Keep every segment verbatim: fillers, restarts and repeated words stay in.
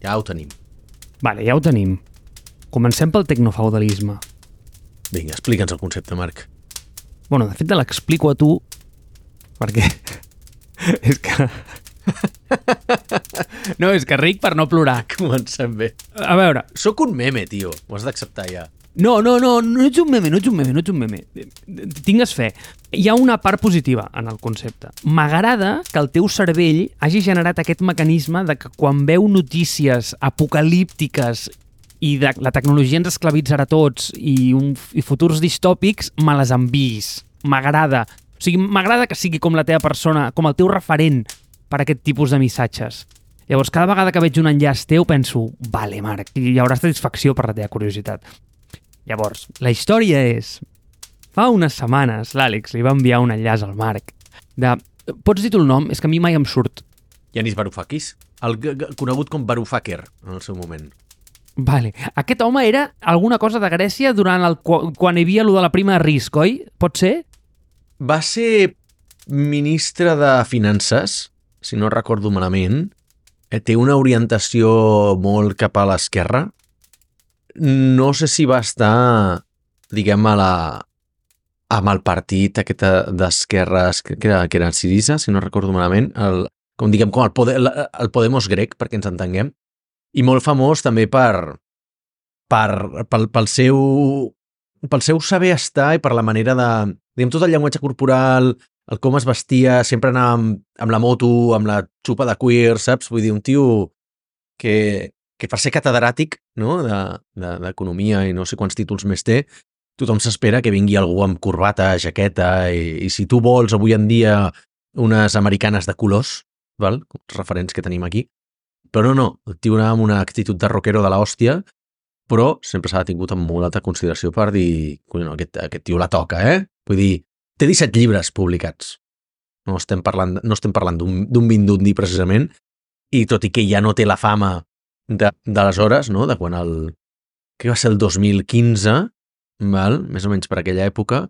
Ja ho tenim. Vale, ja ho tenim. Comencem pel tecnofeudalisme. Vinga, explica'ns el concepte, Marc. Bueno, de fet te l'explico a tu perquè és que... No, és que ric per no plorar. Comencem bé. A veure... Soc un meme, tio. Ho has d'acceptar ja. No, no, no, no ets un meme, no ets un meme, no ets un meme. Tingues fe. Hi ha una part positiva en el concepte. M'agrada que el teu cervell hagi generat aquest mecanisme de que quan veu notícies apocalíptiques i de la tecnologia ens esclavitzarà tots i, un, i futurs distòpics, me les enviïs. M'agrada. O sigui, m'agrada que sigui com la teva persona, com el teu referent per a aquest tipus de missatges. Llavors, cada vegada que veig un enllaç teu, penso, vale, Marc, hi haurà satisfacció per la teva curiositat. Llavors, la història és... Fa unes setmanes, l'Àlex li va enviar un enllaç al Marc de... Pots dir tu el nom? És que a mi mai em surt. Yanis Varoufakis, el conegut com Varoufakir en el seu moment. Vale. Aquest home era alguna cosa de Grècia durant el, quan hi havia allò de la prima de risc, oi? Pot ser? Va ser ministre de Finances, si no recordo malament. Té una orientació molt cap a l'esquerra. No sé si va estar, diguem, a la, amb el partit aquest d'esquerres, que era, que era Syriza, si no recordo malament, el, com diguem, com el, Pode, el Podemos grec, perquè ens entenguem, i molt famós també per, per, pel, pel, seu, pel seu saber estar i per la manera de, diguem, tot el llenguatge corporal, el com es vestia, sempre anava amb, amb la moto, amb la xupa de cuir, saps? Vull dir, un tio que, que per ser catedràtic, no?, d'economia de, de, i no sé quants títols més té, tothom s'espera que vingui algú amb corbata, jaqueta, i, i si tu vols avui en dia unes americanes de colors, val? Els referents que tenim aquí, però no, no, el tio anava amb una actitud de rockero de l'hòstia, però sempre s'ha tingut amb molt alta consideració per dir, no, aquest, aquest tio la toca, eh? Vull dir, té disset llibres publicats. No estem parlant, no estem parlant d'un vindundi, precisament, i tot i que ja no té la fama d'aleshores, no?, de quan el... que va ser el dos mil quinze, val? Més o menys per aquella època,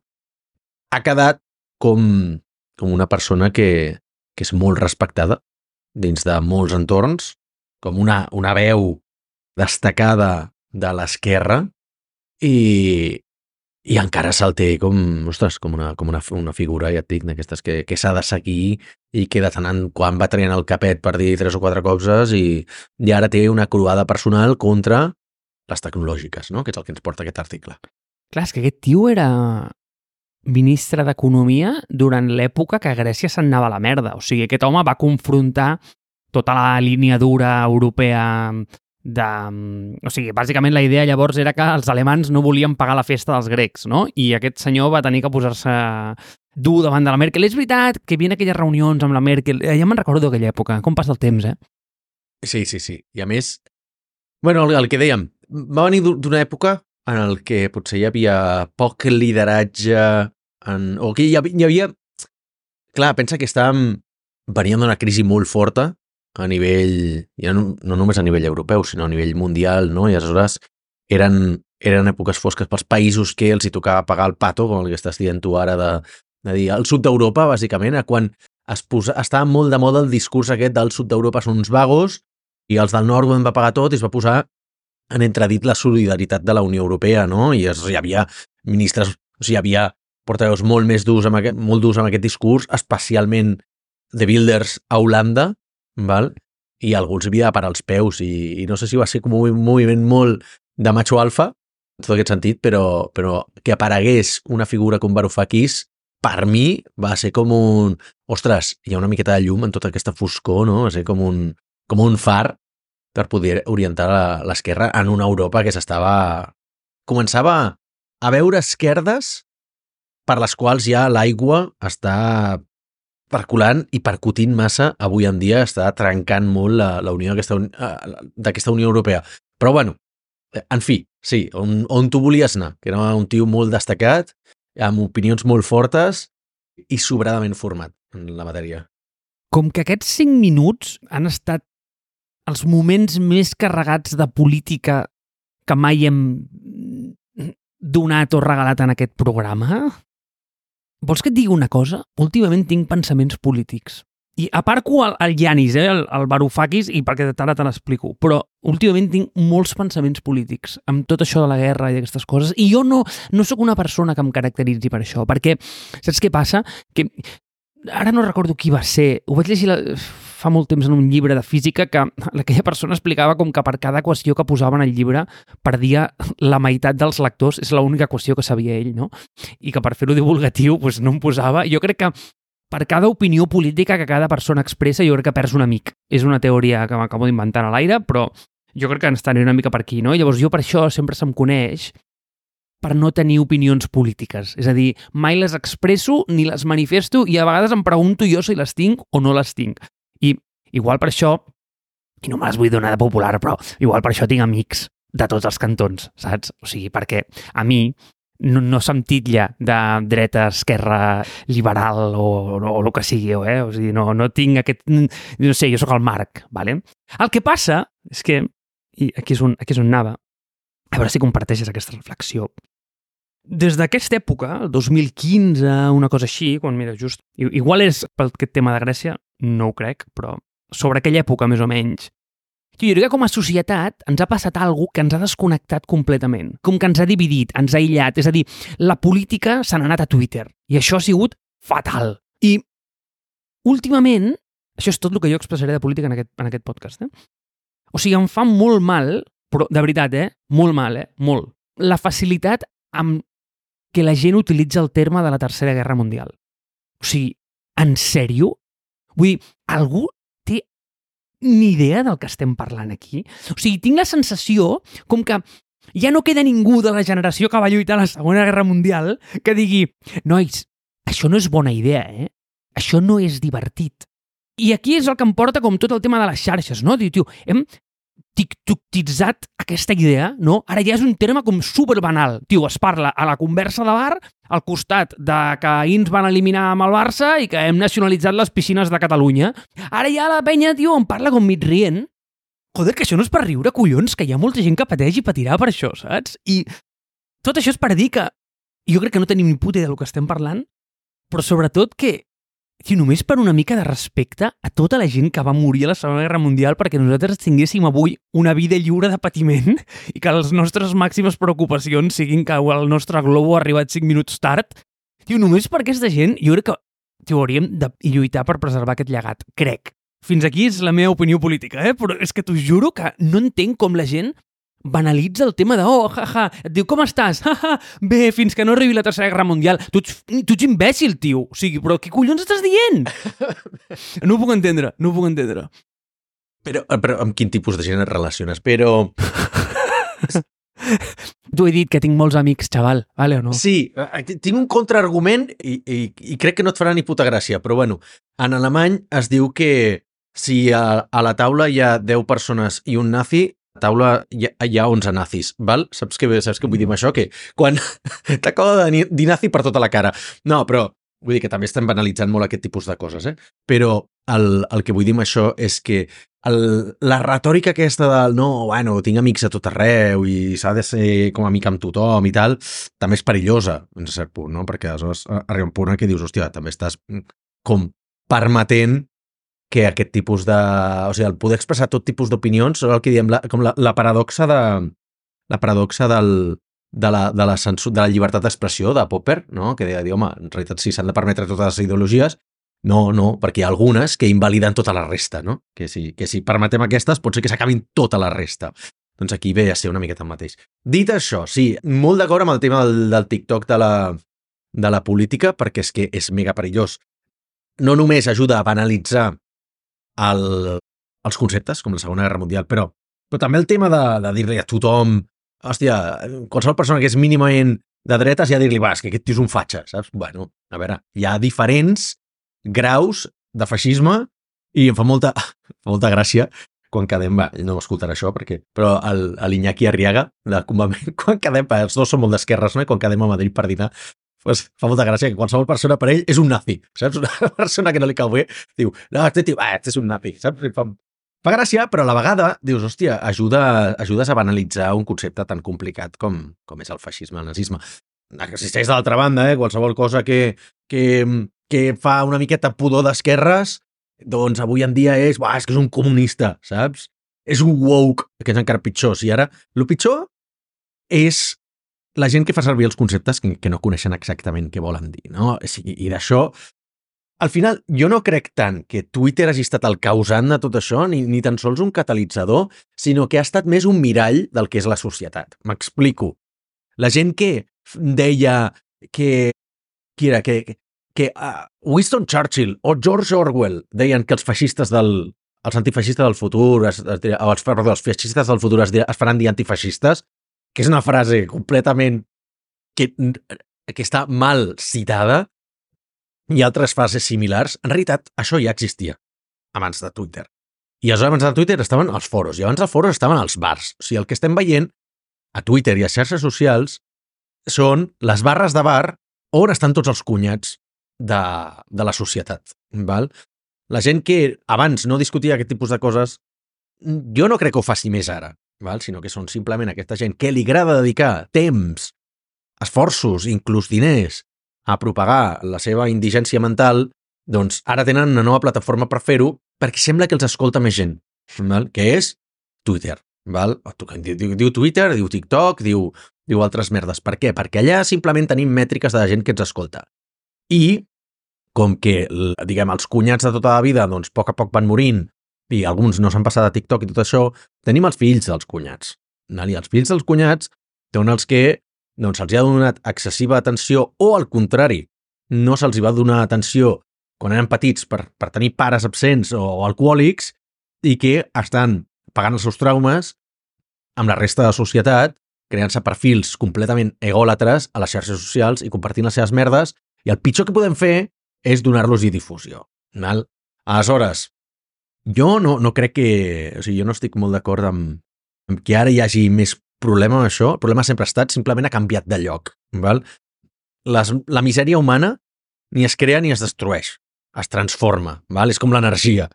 ha quedat com, com una persona que, que és molt respectada dins de molts entorns, com una, una veu destacada de l'esquerra i, i encara se'l té com, ostres, com una, com una, una figura, ja et dic, d'aquestes que, que s'ha de seguir i que de tant en quan va traient el capet per dir tres o quatre coses i, i ara té una croada personal contra les tecnològiques, no?, que és el que ens porta aquest article. Clar, és que aquest tio era ministre d'Economia durant l'època que Grècia se'n anava a la merda. O sigui, aquest home va confrontar tota la línia dura europea de... O sigui, bàsicament la idea llavors era que els alemans no volien pagar la festa dels grecs, no? I aquest senyor va tenir que posar-se dur davant de la Merkel. És veritat que hi havia aquelles reunions amb la Merkel. Ja me'n recordo d'aquella època. Com passa el temps, eh? Sí, sí, sí. I a més, bueno, el, el que dèiem, va venir d'una època en el que potser hi havia poc lideratge, en... o que hi havia... Hi havia... Clar, pensa que estàvem venint d'una crisi molt forta a nivell, ja no, no només a nivell europeu, sinó a nivell mundial, no? I aleshores eren, eren èpoques fosques pels països que els hi tocava pagar el pato, com el que estàs dient tu ara, de, de dir, el sud d'Europa, bàsicament, a quan es posa, estava molt de moda el discurs aquest del sud d'Europa són uns vagos i els del nord ho van pagar tot i es va posar en entredit la solidaritat de la Unió Europea, no? I es, hi havia ministres, o sigui, hi havia portaveus molt més durs amb aquest, molt durs amb aquest discurs, especialment de Wilders a Holanda, val? I algú els havia de parar els peus i, i no sé si va ser com un moviment molt de macho alfa, en tot aquest sentit, però, però que aparegués una figura com Varoufakis, per mi va ser com un... Ostres, hi ha una miqueta de llum en tota aquesta foscor, no? Va ser com un, com un far per poder orientar l'esquerra en una Europa que s'estava... Començava a veure esquerdes per les quals ja l'aigua està perculant i percutint massa avui en dia, està trencant molt la, la unió d'aquesta Unió Europea. Però bueno, en fi, sí, on, on tu volies anar, que era un tio molt destacat, amb opinions molt fortes i sobradament format en la matèria. Com que aquests cinc minuts han estat els moments més carregats de política que mai hem donat o regalat en aquest programa... Vols que et digui una cosa? Últimament tinc pensaments polítics. I aparco el, el Yanis, eh, el, el Varoufakis, i perquè ara te l'explico, però últimament tinc molts pensaments polítics amb tot això de la guerra i d'aquestes coses, i jo no, no sóc una persona que em caracteritzi per això, perquè saps què passa? Que ara no recordo qui va ser, ho vaig llegir la, fa molt temps en un llibre de física que aquella persona explicava com que per cada equació que posava en el llibre perdia la meitat dels lectors, és l'única equació que sabia ell, no? I que per fer-ho divulgatiu doncs no em posava. Jo crec que per cada opinió política que cada persona expressa, jo crec que perds un amic. És una teoria que m'acabo d'inventar a l'aire, però jo crec que ens aniré una mica per aquí, no? Llavors jo per això sempre se'm coneix per no tenir opinions polítiques. És a dir, mai les expresso ni les manifesto i a vegades em pregunto jo si les tinc o no les tinc. I igual per això, i no me les vull donar de popular, però igual per això tinc amics de tots els cantons, saps? O sigui, perquè a mi no, no se'm titlla de dreta, esquerra, liberal o, o, o el que sigui, eh? O sigui, no, no tinc aquest... No sé, jo sóc el Marc, ¿vale? El que passa és que, i aquí és on, aquí és on anava, a veure si comparteixes aquesta reflexió. Des d'aquesta època, el dos mil quinze, una cosa així, quan, mira, just... Igual és pel aquest tema de Grècia, no ho crec, però sobre aquella època, més o menys, jo diria que com a societat ens ha passat alguna cosa que ens ha desconnectat completament, com que ens ha dividit, ens ha aïllat, és a dir, la política se n'ha anat a Twitter, i això ha sigut fatal. I últimament, això és tot el que jo expressaré de política en aquest, en aquest podcast, eh? O sigui, em fa molt mal, però de veritat, eh? Molt mal, eh? Molt. La facilitat amb que la gent utilitza el terme de la Tercera Guerra Mundial. O sigui, en sèrio? Vull dir, algú té ni idea del que estem parlant aquí? O sigui, tinc la sensació com que ja no queda ningú de la generació que va lluitar a la Segona Guerra Mundial que digui, nois, això no és bona idea, eh? Això no és divertit. I aquí és el que em porta com tot el tema de les xarxes, no? Diu, tio, hem tiktokitzat aquesta idea, no? Ara ja és un terme com superbanal. Tio, es parla a la conversa de bar al costat de que ahir ens van eliminar amb el Barça i que hem nacionalitzat les piscines de Catalunya. Ara ja la penya, tio, em parla com mig rient. Joder, que això no és per riure, collons, que hi ha molta gent que pateix i patirà per això, saps? I tot això és per dir que jo crec que no tenim ni puta idea del que estem parlant, però sobretot que tio, només per una mica de respecte a tota la gent que va morir a la Segona Guerra Mundial perquè nosaltres tinguéssim avui una vida lliure de patiment i que les nostres màximes preocupacions siguin que el nostre globo ha arribat cinc minuts tard. Tio, només per aquesta gent, jo crec que tio, hauríem de lluitar per preservar aquest llegat. Crec. Fins aquí és la meva opinió política, eh? Però és que t'ho juro que no entenc com la gent banalitza el tema de, oh, jaja, et diu, com estàs? Jaja, bé, fins que no arribi la Tercera Guerra Mundial. Tu ets, tu ets imbècil, tio. O sigui, però què collons estàs dient? No ho puc entendre, no ho puc entendre. Però, però amb quin tipus de gent et relaciones? Però... T'ho he dit, que tinc molts amics, xaval, vale o no? Sí, tinc un contraargument i, i, i crec que no et farà ni puta gràcia, però bueno, en alemany es diu que si a, a la taula hi ha deu persones i un nazi, a la taula hi ha, hi ha onze nazis, val? Saps què, saps què vull dir amb això? Que quan t'acaba de dir nazi per tota la cara. No, però vull dir que també estem banalitzant molt aquest tipus de coses, eh? Però el, el que vull dir amb això és que el, la retòrica aquesta del no, bueno, tinc amics a tot arreu i s'ha de ser com amic amb tothom i tal, també és perillosa, en cert punt, no? Perquè aleshores arriba un punt en què dius, hòstia, també estàs com permetent que aquest tipus de... O sigui, el poder expressar tot tipus d'opinions, el que diem, la, com la, la paradoxa de... La paradoxa del, de, la, de, la censur, de la llibertat d'expressió de Popper, no? Que deia, home, en realitat sí s'han de permetre totes les ideologies. No, no, perquè hi ha algunes que invaliden tota la resta, no? Que si, que si permetem aquestes, pot ser que s'acabin tota la resta. Doncs aquí ve a ser una miqueta el mateix. Dit això, sí, molt d'acord amb el tema del, del TikTok de la, de la política, perquè és que és mega perillós. No només ajuda a banalitzar el, els conceptes, com la Segona Guerra Mundial, però, però també el tema de, de dir-li a tothom, hòstia, qualsevol persona que és mínimament de dretes ja dir-li, va, és que aquest tio és un fatxa, saps? Bueno, a veure, hi ha diferents graus de feixisme i em fa molta, molta gràcia quan quedem, va, no m'escoltarà això, perquè, però l'Iñaki Arriaga, de Convament, quan quedem, els dos són molt d'esquerres, no? I quan quedem a Madrid per dinar, pues, fa molta gràcia que qualsevol persona per ell és un nazi, saps? Una persona que no li cau bé, diu, no, este tio, ah, este és un nazi, saps? Fa, fa gràcia, però a la vegada dius, hòstia, ajuda, ajudes a banalitzar un concepte tan complicat com, com és el feixisme, el nazisme. Existeix de l'altra banda, eh? Qualsevol cosa que, que, que fa una miqueta pudor d'esquerres doncs avui en dia és, buah, és que és un comunista, saps? És un woke, que és encara pitjor. Si ara, el pitjor és la gent que fa servir els conceptes que, que no coneixen exactament què volen dir, no? I, i d'això, al final, jo no crec tant que Twitter hagi estat el causant de tot això, ni, ni tan sols un catalitzador, sinó que ha estat més un mirall del que és la societat. M'explico. La gent que deia que... Qui era? Que, que uh, Winston Churchill o George Orwell deien que els feixistes del... els antifeixistes del futur, es, es, o els, perdó, els feixistes del futur es, es faran dir antifeixistes, que és una frase completament que, que està mal citada, i altres frases similars. En realitat, això ja existia abans de Twitter. I aleshores abans de Twitter estaven els foros, i abans dels foros estaven els bars. O sigui, el que estem veient a Twitter i a xarxes socials són les barres de bar on estan tots els cunyats de, de la societat. Val? La gent que abans no discutia aquest tipus de coses, jo no crec que ho faci més ara, val? Sinó que són simplement aquesta gent que li agrada dedicar temps, esforços, inclús diners, a propagar la seva indigència mental, doncs ara tenen una nova plataforma per fer-ho perquè sembla que els escolta més gent, val? Que és Twitter. Val? Diu, diu Twitter, diu TikTok, diu, diu altres merdes. Per què? Perquè allà simplement tenim mètriques de la gent que ens escolta. I com que, diguem, els cunyats de tota la vida, doncs, a poc a poc van morint i alguns no s'han passat a TikTok i tot això, tenim els fills dels cunyats. I els fills dels cunyats són els que doncs, se'ls ha donat excessiva atenció o, al contrari, no se'ls va donar atenció quan eren petits per, per tenir pares absents o, o alcohòlics i que estan pagant els seus traumes amb la resta de la societat, creant-se perfils completament egòlatres a les xarxes socials i compartint les seves merdes, i el pitjor que podem fer és donar-los-hi difusió. Val? Aleshores, jo no, no crec que... O sigui, jo no estic molt d'acord amb, amb que ara hi hagi més problema amb això. El problema sempre ha estat, simplement ha canviat de lloc. Val? Les, la misèria humana ni es crea ni es destrueix. Es transforma. Val? És com l'energia.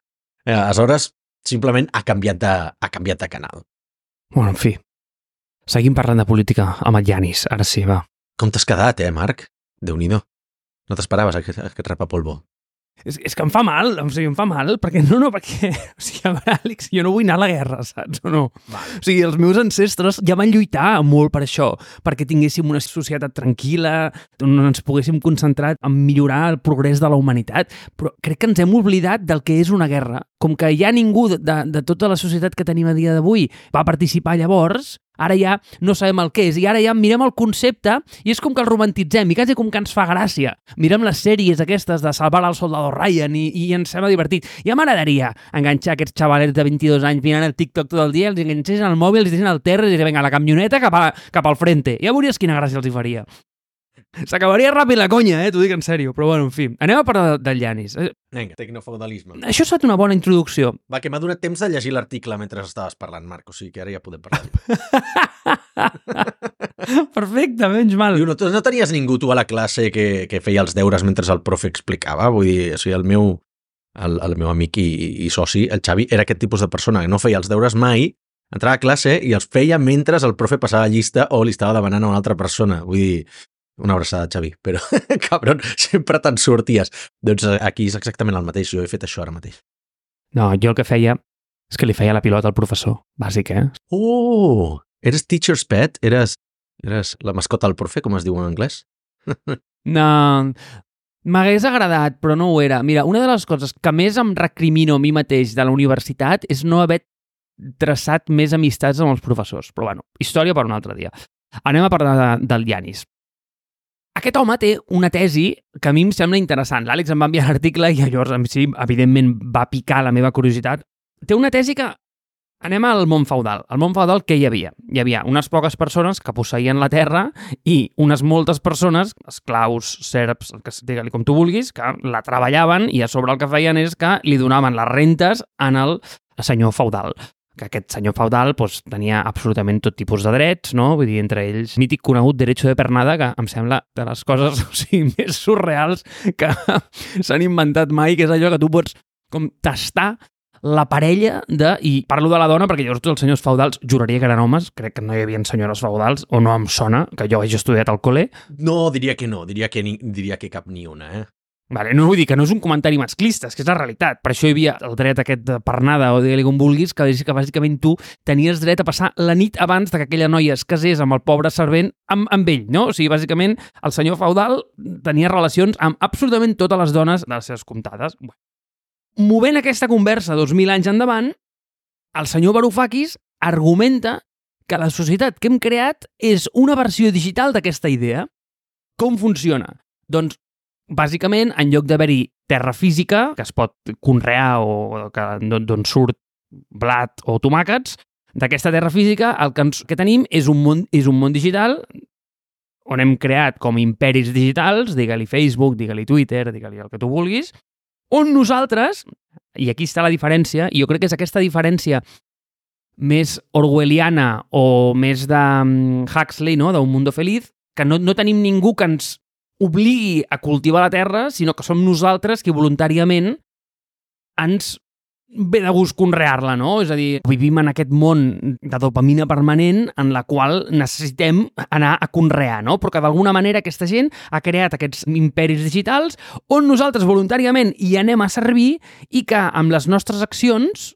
Eh, aleshores, simplement ha canviat de, ha canviat de canal. Bueno, en fi. Seguim parlant de política amb el Yanis. Ara sí, va. Com t'has quedat, eh, Marc? Déu-n'hi-do. No t'esperaves aquest, aquest rapapolvo. És, és que em fa mal, o sigui, em fa mal, perquè no, no, perquè, o sigui, a veure, Àlex, jo no vull anar a la guerra, saps, o no? Vale. O sigui, els meus ancestres ja van lluitar molt per això, perquè tinguéssim una societat tranquil·la, on ens poguéssim concentrar en millorar el progrés de la humanitat, però crec que ens hem oblidat del que és una guerra. Com que ja ningú de, de tota la societat que tenim a dia d'avui va participar llavors, ara ja no sabem el què és, i ara ja mirem el concepte i és com que el romantitzem, i quasi com que ens fa gràcia. Mirem les sèries aquestes de Salvar al Soldado Ryan i, i ens sembla divertit. Ja m'agradaria enganxar aquests xavalets de vint-i-dos anys mirant el TikTok tot el dia, els enganxessin al mòbil, els deixessin al terra i dir, vinga, la camioneta cap, a, cap al frente. Ja veuries quina gràcia els hi faria. S'acabaria ràpid la conya, eh? T'ho dic en sèrio. Però bueno, en fi. Anem a parlar del Yanis. Vinga, tecnofeudalisme. Això ha estat una bona introducció. Va, que m'ha donat temps de llegir l'article mentre estaves parlant, Marc. O sigui que ara ja podem parlar. Perfecte, menys mal. Diu, no, no tenies ningú tu a la classe que, que feia els deures mentre el profe explicava? Vull dir, o sigui, el meu, el, el meu amic i, i soci, el Xavi, era aquest tipus de persona que no feia els deures mai, entrava a classe i els feia mentre el profe passava llista o li estava demanant a una altra persona. Vull dir, una abraçada, Xavi, però, cabron, sempre te'n sorties. Doncs aquí és exactament el mateix, jo he fet això ara mateix. No, jo el que feia és que li feia la pilota al professor, bàsic, eh? Oh, eres teacher's pet? Eres, eres la mascota del profe, com es diu en anglès? No, m'hagués agradat, però no ho era. Mira, una de les coses que més em recrimino a mi mateix de la universitat és no haver traçat més amistats amb els professors. Però bueno, història per un altre dia. Anem a parlar de, del Yanis. Aquest home té una tesi que a mi em sembla interessant. L'Àlex em va enviar l'article i llavors, sí, evidentment, va picar la meva curiositat. Té una tesi que... Anem al món feudal. Al món feudal, què hi havia? Hi havia unes poques persones que posseïen la terra i unes moltes persones, esclaus, serps, que digue-li com tu vulguis, que la treballaven i a sobre el que feien és que li donaven les rentes en el senyor feudal. Que aquest senyor feudal doncs, tenia absolutament tot tipus de drets, no? Vull dir, entre ells, mític conegut derecho de pernada, que em sembla de les coses o sigui, més surreals que s'han inventat mai, que és allò que tu pots com tastar la parella de... I parlo de la dona perquè llavors els senyors feudals juraria que eren homes, crec que no hi havia senyores feudals, o no em sona, que jo hagi estudiat al col·le. No, diria que no, diria que, ni, diria que cap ni una, eh? Vale, no vull dir que no és un comentari masclista, és que és la realitat. Per això hi havia el dret aquest de pernada, o digue-li com vulguis, que és que bàsicament tu tenies dret a passar la nit abans de que aquella noia es casés amb el pobre servent amb, amb ell, no? O sigui, bàsicament, el senyor feudal tenia relacions amb absolutament totes les dones de les seves comptades. Movent aquesta conversa dos mil anys endavant, el senyor Varoufakis argumenta que la societat que hem creat és una versió digital d'aquesta idea. Com funciona? Doncs bàsicament, en lloc d'haver-hi terra física, que es pot conrear o d'on surt blat o tomàquets, d'aquesta terra física el que, ens, que tenim és un, món, és un món digital on hem creat com imperis digitals, digue-li Facebook, digue-li Twitter, digue-li el que tu vulguis, on nosaltres, i aquí està la diferència, i jo crec que és aquesta diferència més orwelliana o més de Huxley, no? d'un mundo feliz, que no, no tenim ningú que ens obligui a cultivar la terra, sinó que som nosaltres qui voluntàriament ens ve de gust conrear-la, no? És a dir, vivim en aquest món de dopamina permanent en la qual necessitem anar a conrear, no? Però que d'alguna manera aquesta gent ha creat aquests imperis digitals on nosaltres voluntàriament hi anem a servir i que amb les nostres accions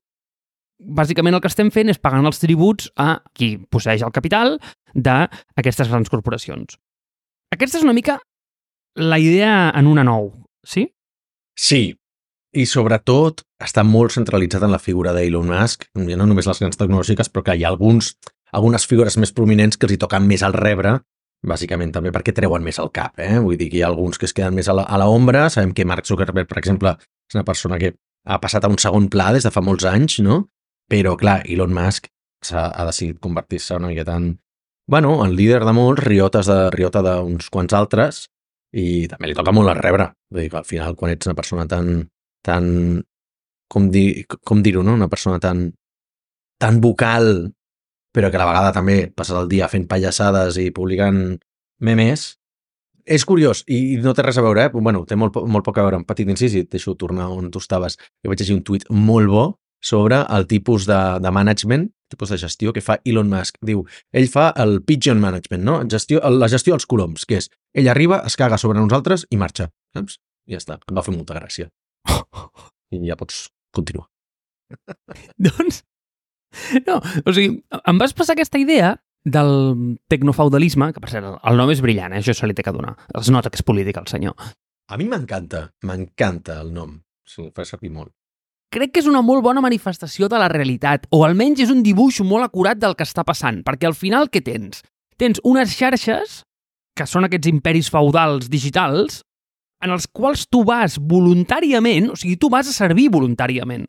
bàsicament el que estem fent és pagant els tributs a qui posseeix el capital d'aquestes grans corporacions. Aquesta és una mica la idea en una nou, sí? Sí, i sobretot està molt centralitzat en la figura d'Elon Musk, ja no només les grans tecnològiques, però que hi ha alguns, algunes figures més prominents que els hi toquen més al rebre, bàsicament també perquè treuen més al cap, eh? Vull dir que hi ha alguns que es queden més a la, a la ombra. Sabem que Mark Zuckerberg, per exemple, és una persona que ha passat a un segon pla des de fa molts anys, no? Però, clar, Elon Musk ha, ha decidit convertir-se una miqueta en, bueno, en líder de molts, riotes de, riota d'uns quants altres, i també li toca molt a rebre. Vull dir que al final, quan ets una persona tan, tan com, dir, com dir-ho, no? Una persona tan, tan vocal, però que a la vegada també passes el dia fent pallassades i publicant memes, és curiós, i no té res a veure, eh? Bueno, té molt, molt poc a veure, un petit incís, i et deixo tornar on tu estaves. Jo vaig llegir un tuit molt bo sobre el tipus de, de management, tipus de gestió que fa Elon Musk. Diu, ell fa el pigeon management, no? Gestió, la gestió dels coloms, que és, ell arriba, es caga sobre nosaltres i marxa. Saps? I ja està. Em va fer molta gràcia. I ja pots continuar. Doncs, no, o sigui, em vas passar aquesta idea del tecnofeudalisme, que per cert, el nom és brillant, eh? Això se li té que donar. Es nota que és polític, el senyor. A mi m'encanta, m'encanta el nom. Sí, fa servir molt. Crec que és una molt bona manifestació de la realitat, o almenys és un dibuix molt acurat del que està passant, perquè al final què tens? Tens unes xarxes, que són aquests imperis feudals digitals, en els quals tu vas voluntàriament, o sigui, tu vas a servir voluntàriament,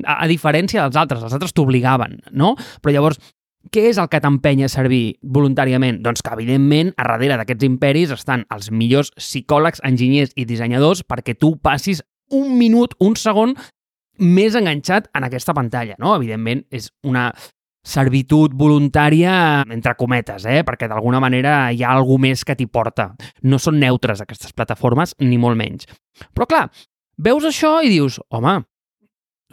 a, a diferència dels altres, els altres t'obligaven, no? Però llavors, què és el que t'empenya a servir voluntàriament? Doncs que, evidentment, a darrere d'aquests imperis estan els millors psicòlegs, enginyers i dissenyadors perquè tu passis un minut, un segon, més enganxat en aquesta pantalla, no? Evidentment, és una servitud voluntària, entre cometes, eh? Perquè d'alguna manera hi ha alguna més que t'hi porta. No són neutres aquestes plataformes, ni molt menys. Però clar, veus això i dius, home,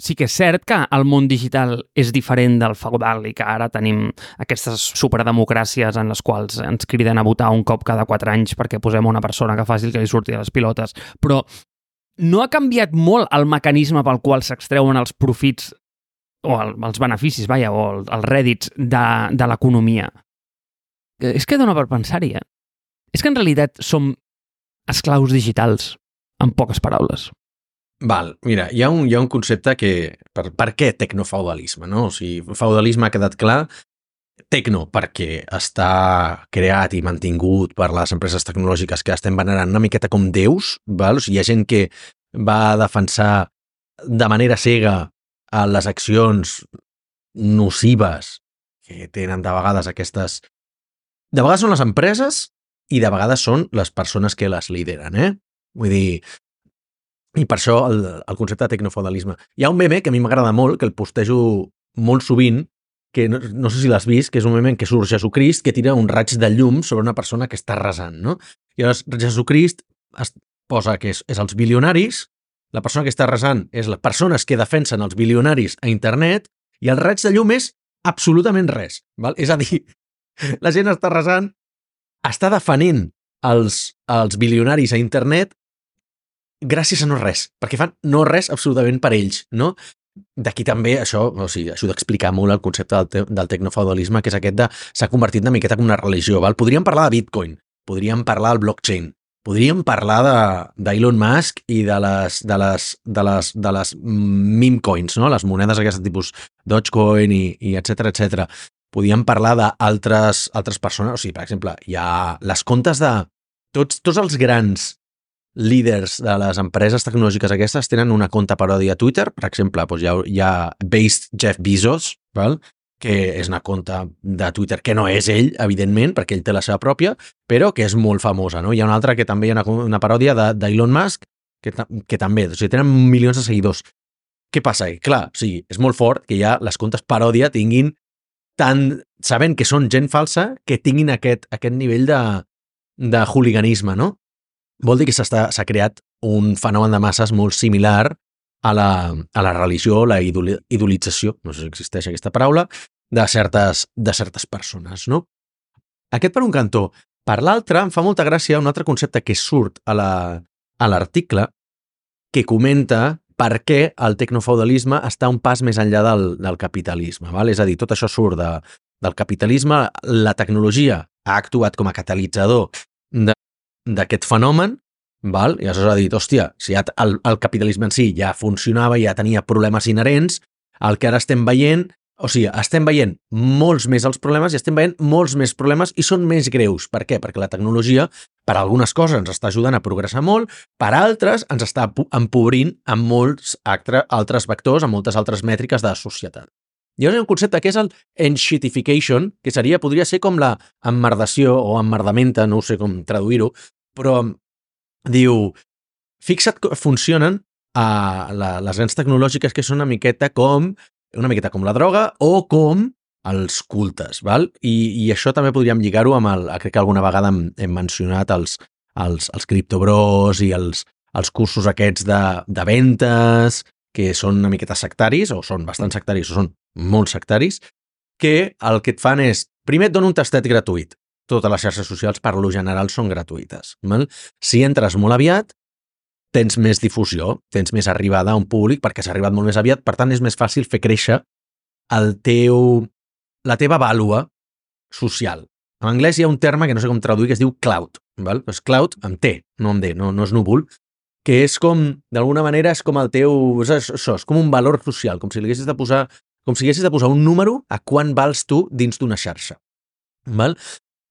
sí que és cert que el món digital és diferent del feudal i que ara tenim aquestes superdemocràcies en les quals ens criden a votar un cop cada quatre anys perquè posem una persona que faci el que li surti a les pilotes. Però no ha canviat molt el mecanisme pel qual s'extreuen els profits o el, els beneficis, vaja, o el, els rèdits de, de l'economia. És que dona per pensar-hi, eh? És que en realitat som esclaus digitals, en poques paraules. Val, mira, hi ha un, hi ha un concepte que... Per, per què tecnofeudalisme, no? O sigui, feudalisme ha quedat clar. Tecno, perquè està creat i mantingut per les empreses tecnològiques que estem venerant una miqueta com déus, val? O sigui, hi ha gent que va defensar de manera cega a les accions nocives que tenen de vegades aquestes... De vegades són les empreses i de vegades són les persones que les lideren, eh? Vull dir... I per això el, el concepte de tecnofeudalisme. Hi ha un meme que a mi m'agrada molt, que el postejo molt sovint, que no, no sé si l'has vist, que és un meme en què surt Jesucrist que tira un raig de llum sobre una persona que està resant, no? I llavors Jesucrist es posa que és, és els bilionaris, la persona que està resant és les persones que defensen els bilionaris a internet i el raig de llum és absolutament res, val? És a dir, la gent està resant, està defenent els, els bilionaris a internet gràcies a no res, perquè fan no res absolutament per ells, no? D'aquí també això, o sigui, això d'explicar molt el concepte del, te del tecnofeudalisme, que és aquest de s'ha convertit una miqueta com una religió, val? Podríem parlar de Bitcoin, podríem parlar del blockchain, podríem parlar d'Elon Musk i de les, de les, de les, de les meme coins, no? Les monedes d'aquest tipus Dogecoin i, i etcètera, etcètera. Podríem parlar d'altres altres persones, o sigui, per exemple, hi ha les comptes de tots, tots els grans líders de les empreses tecnològiques aquestes tenen una compte paròdia a Twitter, per exemple, doncs hi, ha, hi ha Based Jeff Bezos, val? Que és una compte de Twitter que no és ell, evidentment, perquè ell té la seva pròpia, però que és molt famosa, no? Hi ha una altra que també hi ha una, una paròdia d'Elon Musk, que, que també, o sigui, tenen milions de seguidors. Què passa? I, clar, o sigui, és molt fort que ja les comptes paròdia tinguin tant, sabent que són gent falsa, que tinguin aquest, aquest nivell de, de hooliganisme, no? Vol dir que s'ha creat un fenomen de masses molt similar a la, a la religió, la idolització, no sé si existeix aquesta paraula, de certes, de certes persones, no? Aquest per un cantó. Per l'altre, em fa molta gràcia un altre concepte que surt a l'article, que comenta per què el tecnofeudalisme està un pas més enllà del, del capitalisme. Val? És a dir, tot això surt de, del capitalisme, la tecnologia ha actuat com a catalitzador d'aquest fenomen, val? I aleshores ha dit, hòstia, si ja el, el capitalisme en si ja funcionava, ja tenia problemes inherents, el que ara estem veient, o sigui, estem veient molts més els problemes i estem veient molts més problemes i són més greus. Per què? Perquè la tecnologia, per algunes coses, ens està ajudant a progressar molt, per altres ens està empobrint amb molts altres vectors, amb moltes altres mètriques de societat. Llavors hi ha un concepte que és el enshittification, que seria, podria ser com la emmerdació o emmerdamenta, no sé com traduir-ho, però diu, fixa't que funcionen a la, les grans tecnològiques que són una miqueta com una miqueta com la droga o com els cultes, val? I, i això també podríem lligar-ho amb el, crec que alguna vegada hem, hem mencionat els, els, els criptobros i els, els cursos aquests de, de ventes, que són una miqueta sectaris, o són bastant sectaris, o són molt sectaris, que el que et fan és, primer et donen un tastet gratuït. Totes les xarxes socials, per lo general, són gratuïtes. Val? Si entres molt aviat, tens més difusió, tens més arribada a un públic, perquè s'ha arribat molt més aviat, per tant, és més fàcil fer créixer el teu, la teva vàlua social. En anglès hi ha un terme que no sé com traduir, que es diu clout. Val? Pues clout amb T, no amb D, no, no és núvol, que és com, d'alguna manera, és com el teu, és això, és com un valor social, com si li haguessis de posar, com si haguessis de posar un número a quan vals tu dins d'una xarxa. Val?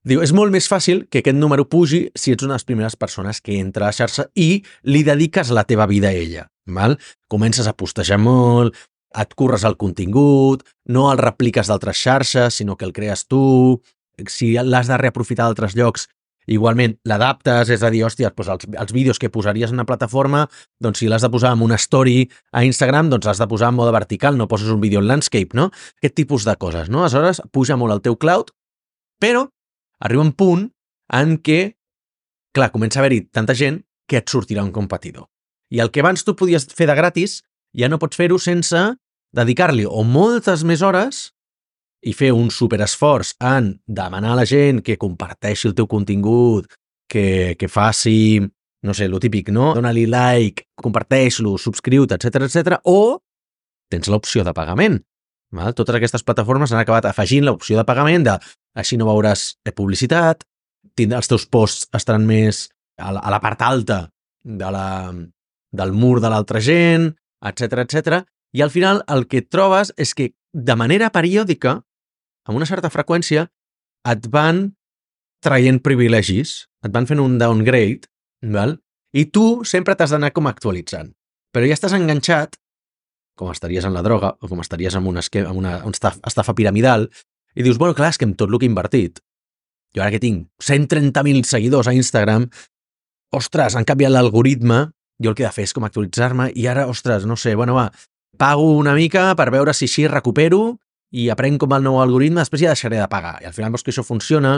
Diu, és molt més fàcil que aquest número pugi si ets una de les primeres persones que entra a la xarxa i li dediques la teva vida a ella. Val? Comences a postejar molt, et curres el contingut, no el repliques d'altres xarxes, sinó que el crees tu. Si l'has de reaprofitar d'altres llocs, igualment l'adaptes, és a dir, hòstia, doncs els, els vídeos que posaries en una plataforma, doncs si l'has de posar en una story a Instagram, doncs l'has de posar en mode vertical, no poses un vídeo en landscape, no? Aquest tipus de coses, no? Aleshores, puja molt el teu cloud, però arriba un punt en què, clar, comença a haver-hi tanta gent que et sortirà un competidor. I el que abans tu podies fer de gratis, ja no pots fer-ho sense dedicar-li o moltes més hores i fer un superesforç en demanar a la gent que comparteixi el teu contingut, que, que faci, no sé, lo típic, no? Dóna-li like, comparteix-lo, subscriu-te, etcètera, etcètera, o tens l'opció de pagament. Val? Totes aquestes plataformes han acabat afegint l'opció de pagament de així no veuràs publicitat, els teus posts estaran més a la, a la part alta de la, del mur de l'altra gent, etcètera, etcètera. I al final el que et trobes és que de manera periòdica, amb una certa freqüència, et van traient privilegis, et van fent un downgrade, val? I tu sempre t'has d'anar com actualitzant. Però ja estàs enganxat, com estaries en la droga o com estaries en una, esquema, en una, una estafa piramidal, i dius, bueno, clar, és que amb tot el que he invertit, jo ara que tinc cent trenta mil seguidors a Instagram, ostres, han canviat l'algoritme, jo el que he de fer és com actualitzar-me, i ara, ostres, no sé, bueno, va, pago una mica per veure si així recupero i aprenc com el nou algoritme, després ja deixaré de pagar. I al final veus que això funciona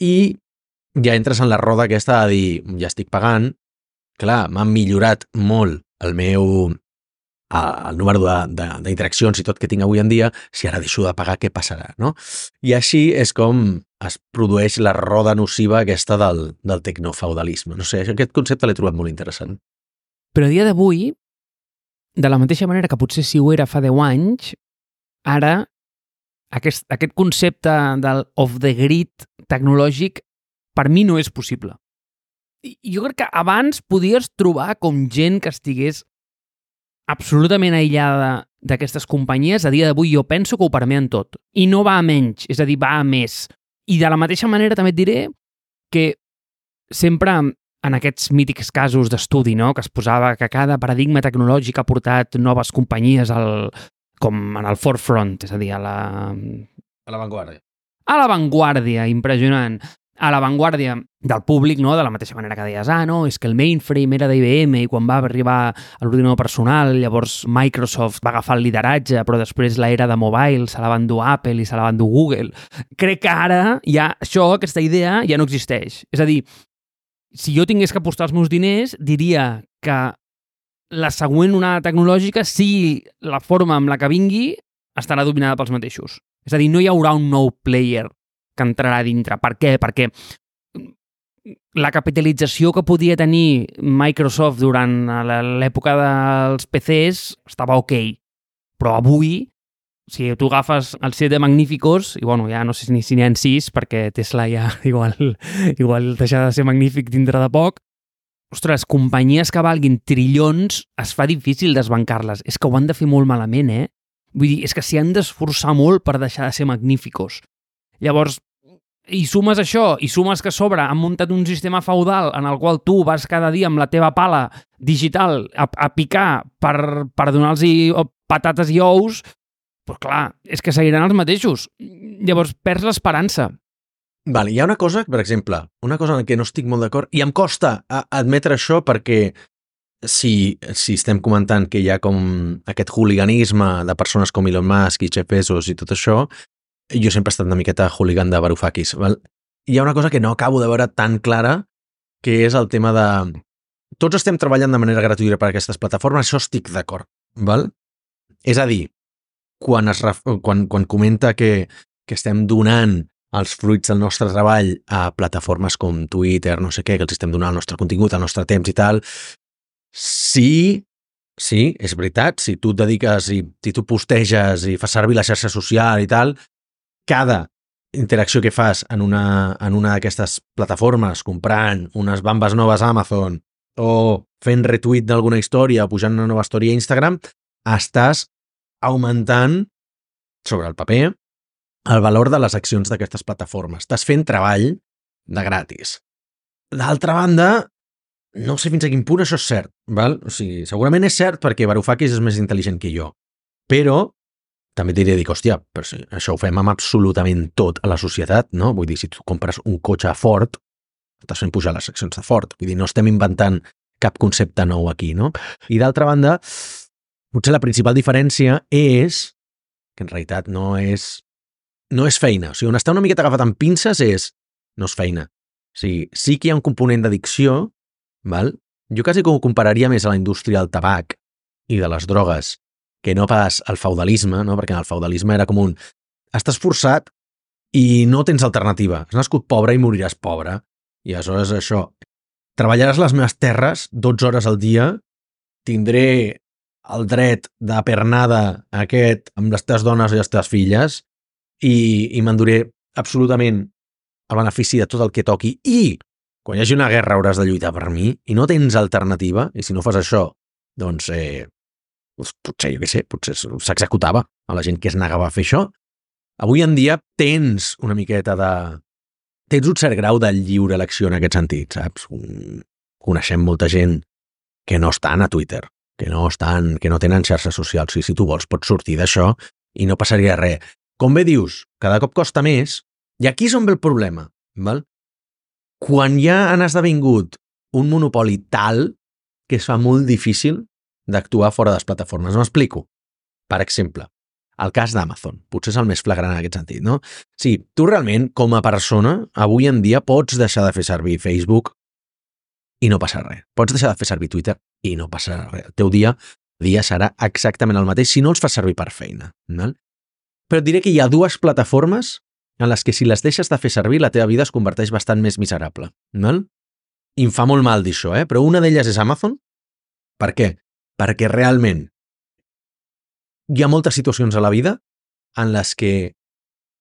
i ja entres en la roda aquesta de dir, ja estic pagant, clar, m'han millorat molt el meu el número d'interaccions i tot que tinc avui en dia, si ara deixo de pagar, què passarà, no? I així és com es produeix la roda nociva aquesta del, del tecnofeudalisme. No sé, aquest concepte l'he trobat molt interessant. Però a dia d'avui, de la mateixa manera que potser si ho era fa deu anys, ara aquest, aquest concepte del off-the-grid tecnològic per mi no és possible. I jo crec que abans podies trobar com gent que estigués absolutament aïllada d'aquestes companyies. A dia d'avui jo penso que ho permeen tot. I no va a menys, és a dir, va a més. I de la mateixa manera també et diré que sempre en aquests mítics casos d'estudi, no?, que es posava que cada paradigma tecnològic ha portat noves companyies al, com en el forefront, és a dir, a la... A l'avantguàrdia. A l'avantguàrdia, impressionant. A l'avantguàrdia del públic, no?, de la mateixa manera que deies, ah, no, és que el mainframe era d'I B M i quan va arribar a l'ordinador personal, llavors Microsoft va agafar el lideratge, però després l'era de mobile se la va endur Apple i se la va endur Google. Crec que ara ja això, aquesta idea, ja no existeix. És a dir, si jo tingués que apostar els meus diners, diria que la següent onada tecnològica, sigui la forma amb la que vingui, estarà dominada pels mateixos. És a dir, no hi haurà un nou player que entrarà dintre. Per què? Perquè la capitalització que podia tenir Microsoft durant l'època dels P Cs estava ok, però avui, si tu agafes el set de Magníficos, i bueno, ja no sé ni si n'hi ha sis, perquè Tesla ja igual, igual deixarà de ser magnífic dintre de poc, ostres, companyies que valguin trillons, es fa difícil desbancar-les. És que ho han de fer molt malament, eh? Vull dir, és que s'hi han d'esforçar molt per deixar de ser magníficos. Llavors, i sumes això, i sumes que a sobre han muntat un sistema feudal en el qual tu vas cada dia amb la teva pala digital a, a picar per, per donar-los patates i ous, doncs clar, és que seguiran els mateixos. Llavors perds l'esperança. Vale, hi ha una cosa, per exemple, una cosa en què no estic molt d'acord, i em costa admetre això perquè si, si estem comentant que hi ha com aquest hooliganisme de persones com Elon Musk i Jeff Bezos i tot això, jo sempre he estat una miqueta hooligan de Varoufakis. Val? Hi ha una cosa que no acabo de veure tan clara, que és el tema de... Tots estem treballant de manera gratuïta per a aquestes plataformes, això estic d'acord. Val? És a dir, quan, es ref... quan, quan comenta que, que estem donant els fruits del nostre treball a plataformes com Twitter, no sé què, que els estem donant el nostre contingut, el nostre temps i tal, sí... Sí, és veritat, si tu et dediques i si tu posteges i fas servir la xarxa social i tal, cada interacció que fas en una, en una d'aquestes plataformes, comprant unes bambes noves a Amazon o fent retweet d'alguna història o pujant una nova història a Instagram, estàs augmentant sobre el paper el valor de les accions d'aquestes plataformes. Estàs fent treball de gratis. D'altra banda, no sé fins a quin punt això és cert. Val? O sigui, segurament és cert perquè Varoufakis és més intel·ligent que jo, però també diré, dic, hòstia, però si això ho fem amb absolutament tot a la societat, no? Vull dir, si tu compres un cotxe Ford, estàs fent pujar les accions de Ford. Vull dir, no estem inventant cap concepte nou aquí, no? I d'altra banda, potser la principal diferència és que en realitat no és, no és feina. O sigui, on està una miqueta agafat amb pinces és, no és feina. O sigui, sí que hi ha un component d'addicció, val? Jo quasi que ho compararia més a la indústria del tabac i de les drogues, que no pas al feudalisme, no? Perquè en el feudalisme era com un... Estàs forçat i no tens alternativa. Has nascut pobre i moriràs pobre. I aleshores això... Treballaràs les meves terres dotze hores al dia, tindré el dret de pernada aquest amb les teves dones i les teves filles i, i m'enduré absolutament el benefici de tot el que toqui i quan hi hagi una guerra hauràs de lluitar per mi i no tens alternativa i si no fas això, doncs... Eh, Doncs potser, jo què sé, potser s'executava a la gent que es negava a fer això. Avui en dia tens una miqueta de... Tens un cert grau de lliure elecció en aquest sentit, saps? Coneixem molta gent que no estan a Twitter, que no estan, que no tenen xarxes socials. I si tu vols pots sortir d'això i no passaria res. Com bé dius, cada cop costa més, i aquí és on ve el problema, val? Quan ja han esdevingut un monopoli tal que es fa molt difícil d'actuar fora de les plataformes. M'explico. Per exemple, el cas d'Amazon. Potser és el més flagrant en aquest sentit, no? Sí, tu realment, com a persona, avui en dia pots deixar de fer servir Facebook i no passa res. Pots deixar de fer servir Twitter i no passa res. El teu dia, dia serà exactament el mateix si no els fas servir per feina. Val? Però et diré que hi ha dues plataformes en les que si les deixes de fer servir la teva vida es converteix bastant més miserable. Val? I em fa molt mal dir això, eh? Però una d'elles és Amazon Per què? Perquè realment hi ha moltes situacions a la vida en les que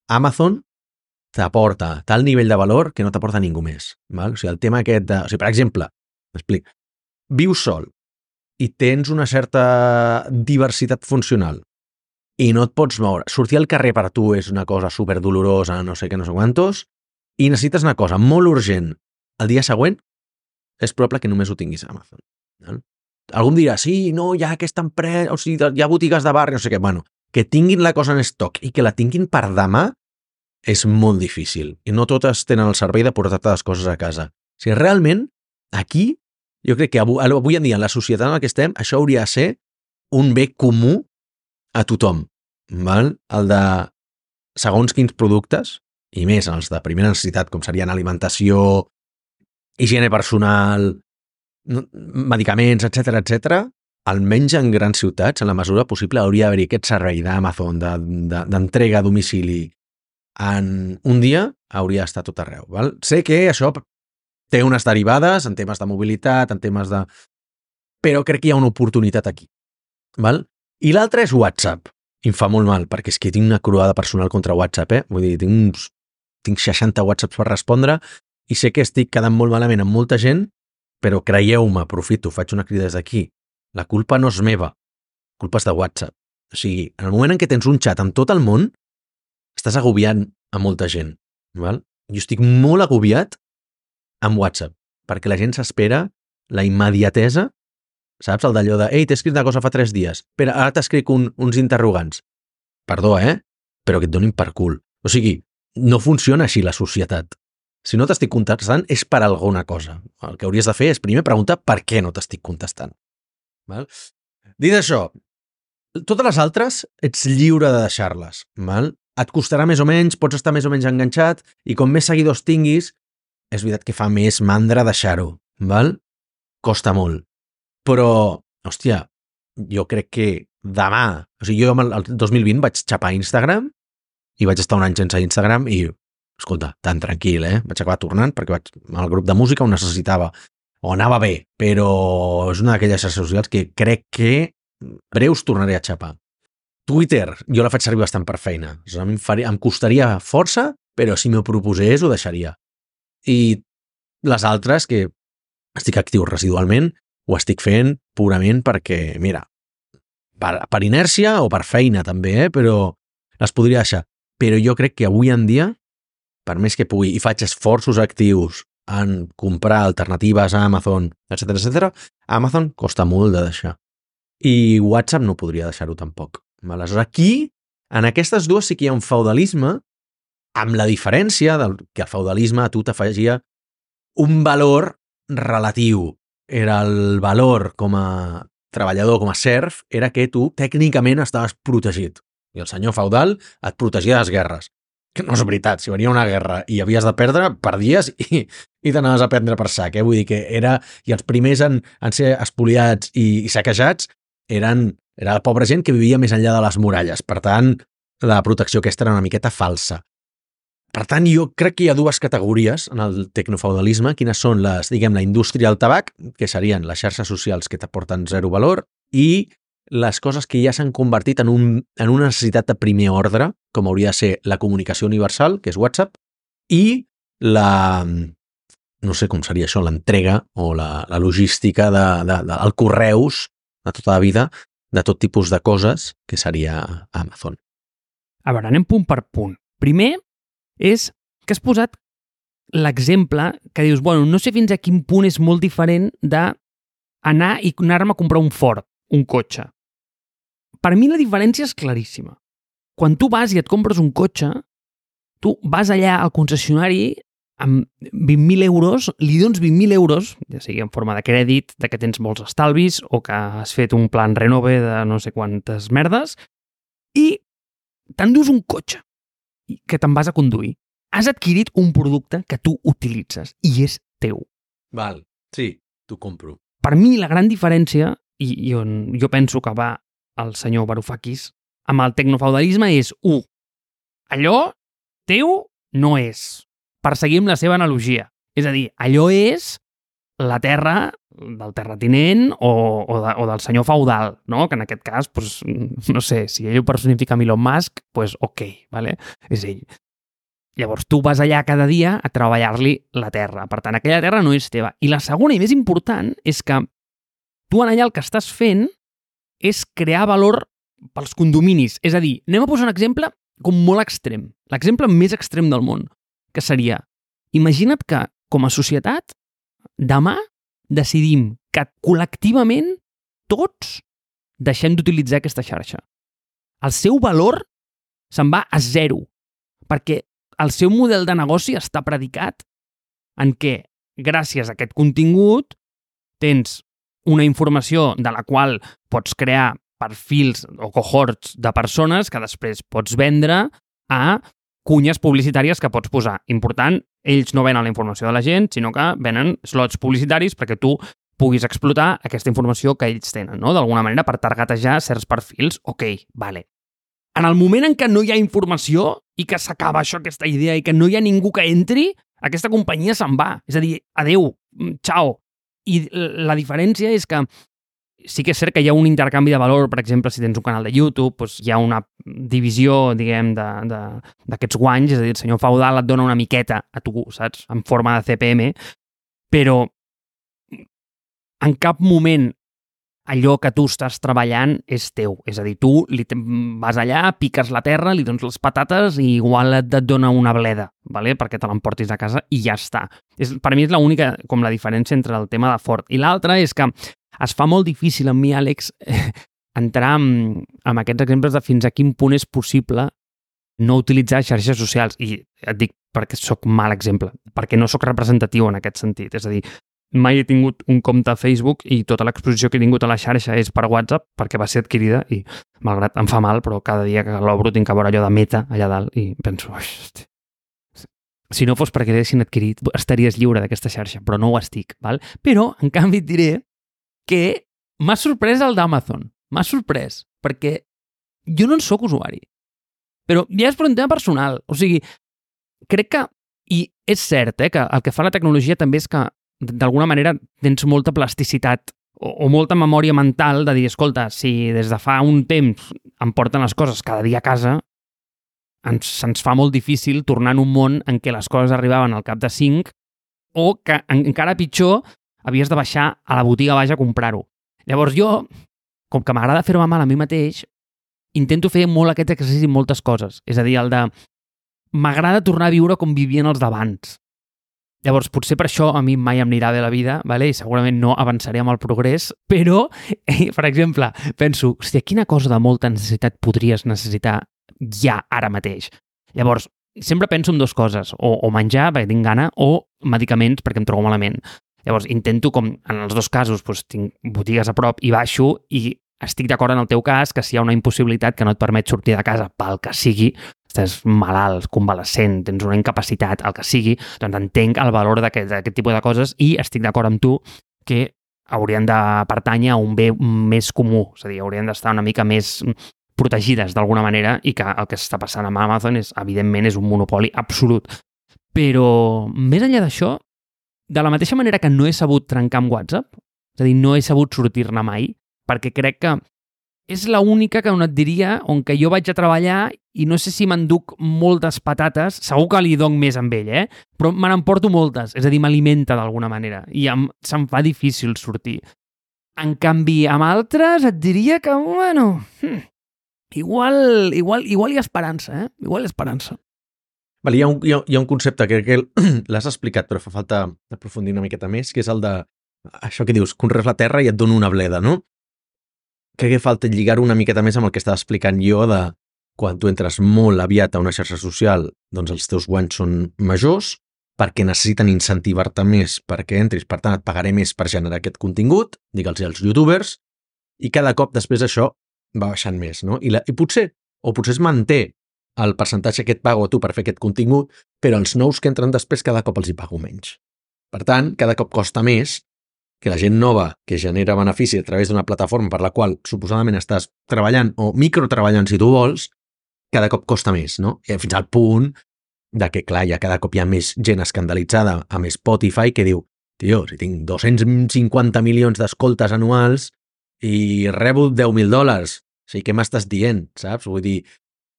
Amazon t'aporta tal nivell de valor que no t'aporta ningú més. Val? O sigui, el tema aquest de... O sigui, per exemple, m'explic, vius sol i tens una certa diversitat funcional i no et pots moure. Sortir al carrer per tu és una cosa superdolorosa, no sé què, no sé quantos, i necessites una cosa molt urgent el dia següent, és probable que només ho tinguis a Amazon. Val? Algú em dirà, sí, no, hi ha aquesta empresa, o sigui, hi ha botigues de barri, no sé què. Bueno, que tinguin la cosa en estoc i que la tinguin per demà és molt difícil. I no totes tenen el servei de portar-te les coses a casa. O sigui, realment, aquí, jo crec que avui en dia, en la societat en la que estem, això hauria de ser un bé comú a tothom. Val? El de segons quins productes, i més els de primera necessitat, com serien alimentació, higiene personal, medicaments, etcètera, etcètera, almenys en grans ciutats, en la mesura possible, hauria d'haver-hi aquest servei d'Amazon, d'entrega a domicili en un dia, hauria d'estar tot arreu. Val? Sé que això té unes derivades en temes de mobilitat, en temes de... Però crec que hi ha una oportunitat aquí. Val? I l'altre és WhatsApp. I em fa molt mal, perquè és que tinc una croada personal contra WhatsApp, eh? Vull dir, tinc, uns, tinc seixanta WhatsApps per respondre i sé que estic quedant molt malament amb molta gent, però creieu-me, aprofito, faig una crida des d'aquí. La culpa no és meva, la culpa és de WhatsApp. O sigui, en el moment en què tens un xat amb tot el món, estàs agobiant a molta gent. Val? Jo estic molt agobiat amb WhatsApp, perquè la gent s'espera la immediatesa, saps? El d'allò de, ei, t'he escrit una cosa fa tres dies, però ara t'escric un, uns interrogants. Perdó, eh? Però que et donin per cul. O sigui, no funciona així la societat. Si no t'estic contestant és per alguna cosa. El que hauries de fer és primer preguntar per què no t'estic contestant. Val? Dit això, totes les altres ets lliure de deixar-les. Val? Et costarà més o menys, pots estar més o menys enganxat i com més seguidors tinguis, és veritat que fa més mandra deixar-ho. Val? Costa molt. Però, hòstia, jo crec que demà, o sigui, jo el dos mil vint vaig xapar Instagram i vaig estar un any sense Instagram i, escolta, tan tranquil, eh? Vaig acabar tornant perquè vaig, el grup de música ho necessitava o anava bé, però és una d'aquelles xarxes socials que crec que breus tornaré a xapar. Twitter, jo la faig servir bastant per feina. O sigui, em, faria, em costaria força, però si m'ho proposés ho deixaria. I les altres, que estic actiu residualment, ho estic fent purament perquè, mira, per, per inèrcia o per feina també, eh? Però les podria deixar. Però jo crec que avui en dia, per més que pugui, i faig esforços actius en comprar alternatives a Amazon, etcètera, etcètera, Amazon costa molt de deixar. I WhatsApp no podria deixar-ho tampoc. Aleshores, aquí, en aquestes dues sí que hi ha un feudalisme, amb la diferència del que el feudalisme a tu t'afegia un valor relatiu. Era el valor com a treballador, com a serf, era que tu tècnicament estaves protegit. I el senyor feudal et protegia de les guerres. Que no és veritat, si venia una guerra i havies de perdre, perdies i, i t'anaves a prendre per sac. Eh? Vull dir que era... I els primers en, en ser espoliats i, i saquejats eren, era la pobra gent que vivia més enllà de les muralles. Per tant, la protecció aquesta era una miqueta falsa. Per tant, jo crec que hi ha dues categories en el tecnofeudalisme, quines són les, diguem, la indústria del tabac, que serien les xarxes socials que t'aporten zero valor, i les coses que ja s'han convertit en, un, en una necessitat de primer ordre, com hauria de ser la comunicació universal, que és WhatsApp, i la, no sé com seria això, l'entrega o la, la logística de, de, de, el correus de tota la vida, de tot tipus de coses, que seria Amazon. A veure, anem punt per punt. Primer és que has posat l'exemple que dius, bueno, no sé fins a quin punt és molt diferent d'anar i anar-me a comprar un Ford, un cotxe. Per mi la diferència és claríssima. Quan tu vas i et compres un cotxe, tu vas allà al concessionari amb vint mil euros, li dones vint mil euros, ja sigui en forma de crèdit, de que tens molts estalvis o que has fet un plan renove de no sé quantes merdes, i t'endús un cotxe que te'n vas a conduir. Has adquirit un producte que tu utilitzes i és teu. Val, sí, t'ho compro. Per mi la gran diferència, i, i on jo penso que va el senyor Varoufakis, amb el tecnofeudalisme és, u, allò teu no és, per seguir amb la seva analogia. És a dir, allò és la terra del terratinent o, o, de, o del senyor feudal, no? Que en aquest cas, pues, no sé, si ell ho personifica amb Elon Musk, pues ok, vale? És ell. Llavors, tu vas allà cada dia a treballar-li la terra. Per tant, aquella terra no és teva. I la segona i més important és que tu en allà el que estàs fent és crear valor pels condominis. És a dir, anem a posar un exemple com molt extrem. L'exemple més extrem del món, que seria, imagina't que, com a societat, demà decidim que col·lectivament tots deixem d'utilitzar aquesta xarxa. El seu valor se'n va a zero, perquè el seu model de negoci està predicat en què, gràcies a aquest contingut, tens una informació de la qual pots crear perfils o cohorts de persones que després pots vendre a cunyes publicitàries que pots posar. Important, ells no venen la informació de la gent, sinó que venen slots publicitaris perquè tu puguis explotar aquesta informació que ells tenen, no? D'alguna manera per targetejar certs perfils. Ok, vale. En el moment en què no hi ha informació i que s'acaba això, aquesta idea, i que no hi ha ningú que entri, aquesta companyia se'n va. És a dir, adeu, ciao. I la diferència és que sí que és cert que hi ha un intercanvi de valor, per exemple, si tens un canal de YouTube, doncs hi ha una divisió, diguem, d'aquests guanys, és a dir, el senyor feudal et dona una miqueta a tu, saps?, en forma de C P M, però en cap moment allò que tu estàs treballant és teu. És a dir, tu li vas allà, piques la terra, li dones les patates i igual et dona una bleda, ¿vale? Perquè te l'emportis a casa i ja està. És, per mi és l'única, com la diferència entre el tema de Ford. I l'altra és que es fa molt difícil amb mi, Àlex, entrar en, en aquests exemples de fins a quin punt és possible no utilitzar xarxes socials. I et dic perquè sóc mal exemple, perquè no sóc representatiu en aquest sentit. És a dir, mai he tingut un compte a Facebook i tota l'exposició que he tingut a la xarxa és per WhatsApp perquè va ser adquirida i, malgrat em fa mal, però cada dia que l'obro tinc que veure allò de Meta allà dalt i penso, hosti, si no fos perquè l'haguessin adquirit estaries lliure d'aquesta xarxa, però no ho estic, val? Però, en canvi, et diré que m'ha sorprès el d'Amazon. M'ha sorprès, perquè jo no en sóc usuari. Però ja és per un tema personal. O sigui, crec que, i és cert, eh, que el que fa la tecnologia també és que d'alguna manera tens molta plasticitat o, o molta memòria mental de dir, escolta, si des de fa un temps em porten les coses cada dia a casa, ens, se'ns fa molt difícil tornar en un món en què les coses arribaven al cap de cinc o que encara pitjor havies de baixar a la botiga baix a comprar-ho. Llavors jo, com que m'agrada fer-me mal a mi mateix, intento fer molt aquest exercici en moltes coses. És a dir, el de m'agrada tornar a viure com vivien els d'abans. Llavors, potser per això a mi mai em anirà bé la vida, vale? I segurament no avançaré amb el progrés, però, eh, per exemple, penso, hòstia, quina cosa de molta necessitat podries necessitar ja, ara mateix? Llavors, sempre penso en dues coses, o, o menjar, perquè tinc gana, o medicaments, perquè em trobo malament. Llavors, intento, com en els dos casos, doncs, tinc botigues a prop i baixo, i estic d'acord en el teu cas que si hi ha una impossibilitat que no et permet sortir de casa pel que sigui, estàs malalt, convalescent, tens una incapacitat, el que sigui, doncs entenc el valor d'aquest tipus de coses i estic d'acord amb tu que haurien de pertànyer a un bé més comú, és a dir, haurien d'estar una mica més protegides d'alguna manera i que el que està passant amb Amazon és, evidentment, és un monopoli absolut. Però, més enllà d'això, de la mateixa manera que no he sabut trencar amb WhatsApp, és a dir, no he sabut sortir-ne mai, perquè crec que és l'única que on et diria on que jo vaig a treballar i no sé si m'enduc moltes patates, segur que li dono més amb ell, eh? Però me n'emporto moltes, és a dir, m'alimenta d'alguna manera i em, se'm fa difícil sortir. En canvi, amb altres et diria que, bueno, hm, igual, igual, igual hi ha esperança, eh? Igual hi ha esperança. Vale, hi, ha un, hi, ha, hi ha un concepte que, que l'has explicat, però fa falta aprofundir una miqueta més, que és el de això que dius, conrees la terra i et dona una bleda, no? Crec que falta lligar una miqueta més amb el que estava explicant jo de quan tu entres molt aviat a una xarxa social, doncs els teus guanys són majors perquè necessiten incentivar-te més perquè entris, per tant et pagaré més per generar aquest contingut, digue'ls als youtubers, i cada cop després això va baixant més, no? I, la, i potser, o potser es manté el percentatge que et pago a tu per fer aquest contingut, però els nous que entren després cada cop els hi pago menys. Per tant, cada cop costa més que la gent nova que genera benefici a través d'una plataforma per la qual suposadament estàs treballant o microtreballant si tu vols, cada cop costa més, no? I fins al punt de que, clar, ja cada cop hi ha més gent escandalitzada amb Spotify que diu tio, si tinc dos-cents cinquanta milions d'escoltes anuals i rebo deu mil dòlars, o sigui, què m'estàs dient, saps? Vull dir,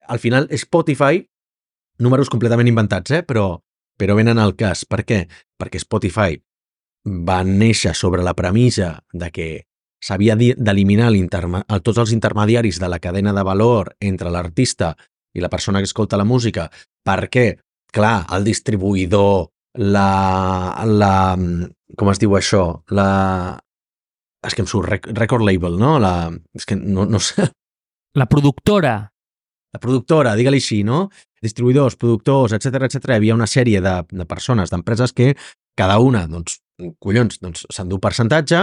al final Spotify, números completament inventats, eh? però, però venen al cas. Per què? Perquè Spotify va néixer sobre la premissa de que s'havia d'eliminar tots els intermediaris de la cadena de valor entre l'artista i la persona que escolta la música, perquè, clar, el distribuïdor, la... la com es diu això? La... És que em surt record label, no? La... És que no, no sé... La productora. La productora, digue-li així, no? Distribuïdors, productors, etcètera, etcètera. Hi havia una sèrie de, de persones, d'empreses que cada una, doncs, collons, doncs, s'endú percentatge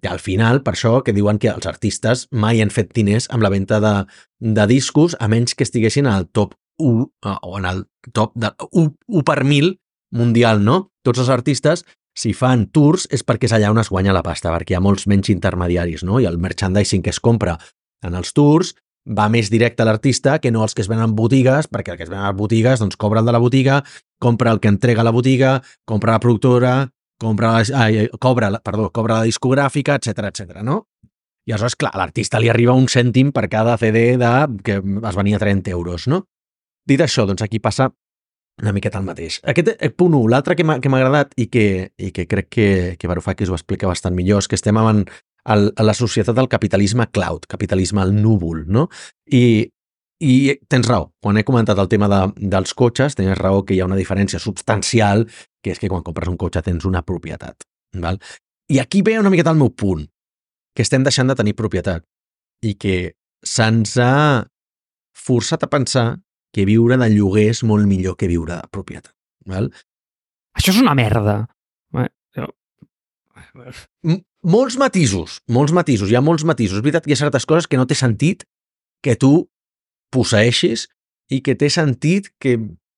i al final, per això que diuen que els artistes mai han fet diners amb la venda de, de discos a menys que estiguessin al top u o en el top de u per mil mundial, no? Tots els artistes, si fan tours, és perquè és allà on es guanya la pasta, perquè hi ha molts menys intermediaris, no? I el merchandising que es compra en els tours va més directe a l'artista que no els que es venen en botigues, perquè el que es venen a les botigues doncs cobra el de la botiga, compra el que entrega a la botiga, compra la productora, compra la, ai, cobra, perdó, cobra la discogràfica, etcètera, etcètera, no? I aleshores, clar, a l'artista li arriba un cèntim per cada C D de, que es venia a trenta euros, no? Dit això, doncs aquí passa una miqueta el mateix. Aquest punt u, l'altre que m'ha agradat i que, i que crec que, que Varoufakis ho explica bastant millor, és que estem en, el, a la societat del capitalisme cloud, capitalisme al núvol, no? I, i tens raó, quan he comentat el tema de, dels cotxes, tens raó que hi ha una diferència substancial, que és que quan compres un cotxe tens una propietat, val? I aquí ve una miqueta el meu punt, que estem deixant de tenir propietat i que se'ns ha forçat a pensar que viure de lloguer és molt millor que viure de propietat, val? Això és una merda. M molts matisos, molts matisos, hi ha molts matisos. És veritat que hi ha certes coses que no té sentit que tu posseeixis i que té sentit que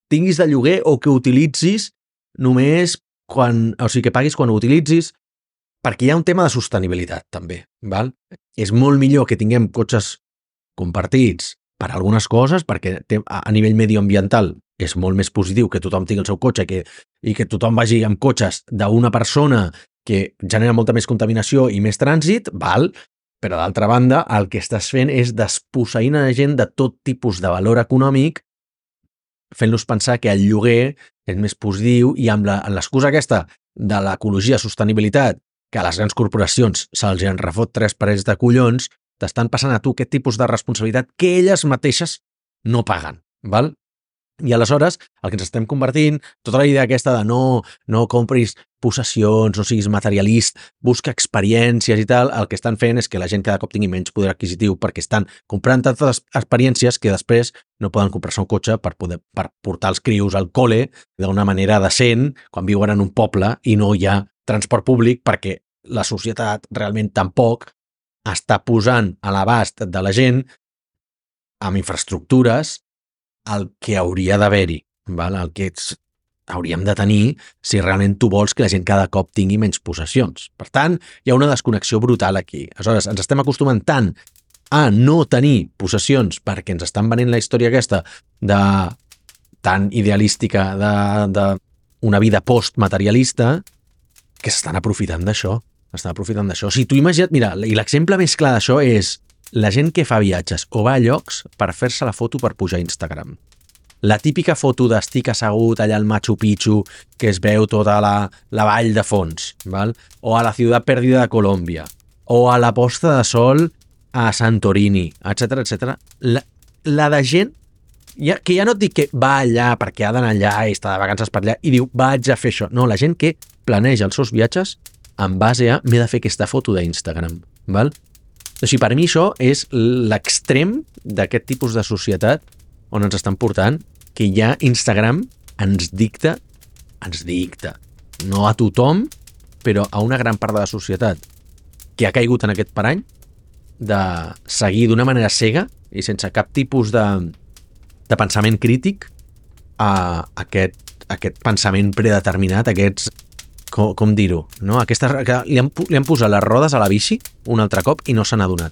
tinguis de lloguer o que utilitzis només quan, o sigui, que paguis quan ho utilitzis, perquè hi ha un tema de sostenibilitat, també, val? És molt millor que tinguem cotxes compartits per algunes coses, perquè a nivell medioambiental és molt més positiu que tothom tingui el seu cotxe que, i que tothom vagi amb cotxes d'una persona que genera molta més contaminació i més trànsit, val? Però d'altra banda, el que estàs fent és desposseint a la gent de tot tipus de valor econòmic, fent-los pensar que el lloguer és més positiu i amb l'excusa aquesta de l'ecologia, sostenibilitat, que a les grans corporacions se'ls en refot tres parells de collons, t'estan passant a tu aquest tipus de responsabilitat que elles mateixes no paguen, val? I aleshores, el que ens estem convertint, tota la idea aquesta de no, no compris possessions, no siguis materialist, busca experiències i tal, el que estan fent és que la gent cada cop tingui menys poder adquisitiu perquè estan comprant tantes experiències que després no poden comprar-se un cotxe per, poder, per portar els crios al col·le d'una manera decent quan viuen en un poble i no hi ha transport públic perquè la societat realment tampoc està posant a l'abast de la gent amb infraestructures el que hauria d'haver-hi, el que ets, hauríem de tenir si realment tu vols que la gent cada cop tingui menys possessions. Per tant, hi ha una desconnexió brutal aquí. Aleshores, ens estem acostumant tant a no tenir possessions perquè ens estan venent la història aquesta de tan idealística de, de una vida postmaterialista que s'estan aprofitant d'això. Estan aprofitant d'això. Si tu imagina't, mira, i l'exemple més clar d'això és la gent que fa viatges o va a llocs per fer-se la foto per pujar a Instagram. La típica foto d'estic assegut allà al Machu Picchu que es veu tota la, la vall de fons, val? O a la ciutat perdida de Colòmbia, o a la posta de sol a Santorini, etcètera, etcètera. La, la de gent ja, que ja no et dic que va allà perquè ha d'anar allà i està de vacances per allà i diu vaig a fer això. No, la gent que planeja els seus viatges en base a m'he de fer aquesta foto d'Instagram, val? O sigui, per mi això és l'extrem d'aquest tipus de societat on ens estan portant, que ja Instagram ens dicta, ens dicta, no a tothom, però a una gran part de la societat que ha caigut en aquest parany de seguir d'una manera cega i sense cap tipus de, de pensament crític a aquest, aquest pensament predeterminat, aquests, com, com dir-ho, no? Aquesta, li, han, li han posat les rodes a la bici un altre cop i no se n'ha donat.